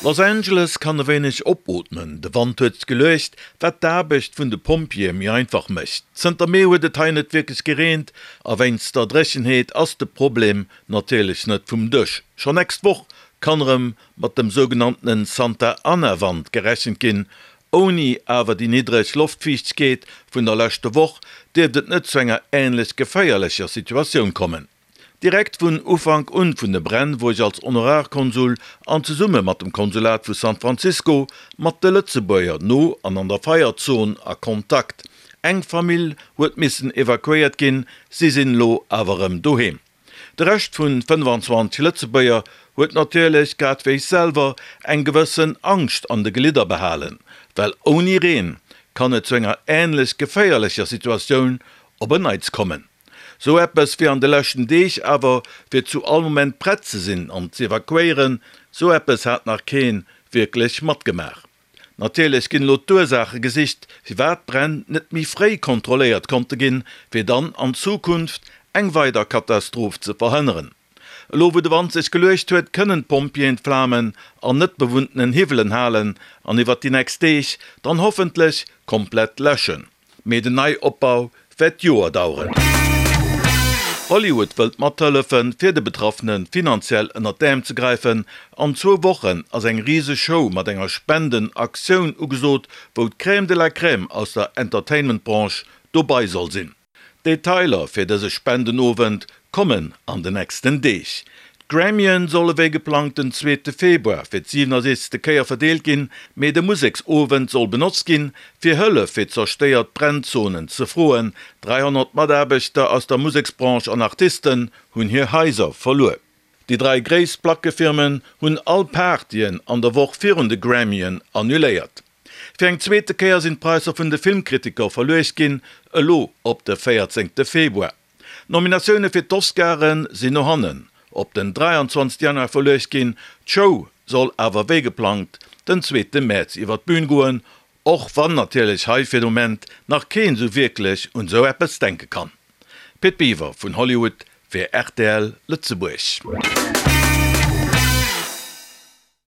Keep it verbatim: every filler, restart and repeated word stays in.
Los Angeles kann e wéineg opootmen, de Wand huet sech geluecht, wat d'Aarbecht vun de Pompjeeë méi einfach mécht. Zënter Mee huet et hei net wierklech gereent a wéinst der Dréchenheet ass de Problem natierlech net vum Dësch. Schonn nächst Woch kann erëm mat dem sougenanntene Santa Ana-Wand gerechent ginn. Ouni awer déi niddreg Loftfiichtegkeet vun der leschter Woch dierft et net zu enger änlech geféierlecher Situatioun kommen. Direkt vun Ufank un vun de Bränn wor ech als Honorarkonsul an zesumme mat dem Konsulat vu San Francisco mat de Lëtzebuerger no an an der Feierzon a Kontakt. Eng Famill huet missen evakuéiert ginn, si sinn elo awer erëm doheem. De Rescht vun fënnefanzwanzeg Lëtzebuerger huet natierlech, grad wéi ech selwer, eng gewëssen Angscht an de Gelidder behalen, well ouni Reen kann et zu enger änlech geféierlecher Situatioun op en Neits kommen. Sou eppes wéi an de leschten Deeg awer, fir zu all Moment prett ze sinn an z'evakuéieren, sou eppes hat nach keen wierklech matgemaach. Natierlech ginn elo d'Ursaache gesicht, firwat d'Bränn net méi fréi kontrolléiert konnte ginn, fir dann an Zukunft eng weider Katastroph ze verhënneren. Elo wou de Wand sech geluecht huet, kënnen d'Pompjeeën d'Flamen an net bewunntenen Hiwwelen halen an iwwert déi nächst Deeg dann hoffentlech komplett läschen. Mee den Neiopbau wäert Joer daueren. Hollywood wëllt mathëllefen, fir de Betraffene finanziell ënnert d'Äerm ze gräifen. An zwou Wochen ass eng riseg Show mat enger Spenden-Aktioun ugesot, wou d'Crème de la Crème aus der Entertainment-Branche dobai soll sinn. Detailer fir dëse Spendenowend kommen an de nächsten Deeg. D'Grammyen solle wéi geplangt den zweete Februar fir d'siwenundsechzegste Kéier verdeelt ginn, mee de Museksowend soll benotzt ginn, fir Hëllef fir zerstéiert Brennzonen ze froen. dräihonnert Mataarbechter aus der Museksbranche an Artisten hunn hir Haiser verluer. Déi dräi gréisst Plackefirmen hunn all Partyen an der Woch virun de Grammyen annuléiert. Fir eng zweete Kéier sinn d'Präisser vun de Filmkritiker verluecht ginn, elo op de véierzéngte Februar. D'Nominatioune fir d'Oscaren sinn no hannen op den dräianzwanzegste Januar verluecht ginn. D'Show soll awer wéi geplangt den zweete Mäerz iwwer d'Bün goen, och wann natierlech hei fir de Moment nach keen esou wierklech un esou eppes denke kann. Pit Biwer vun Hollywood fir rtl Lëtzebuerg.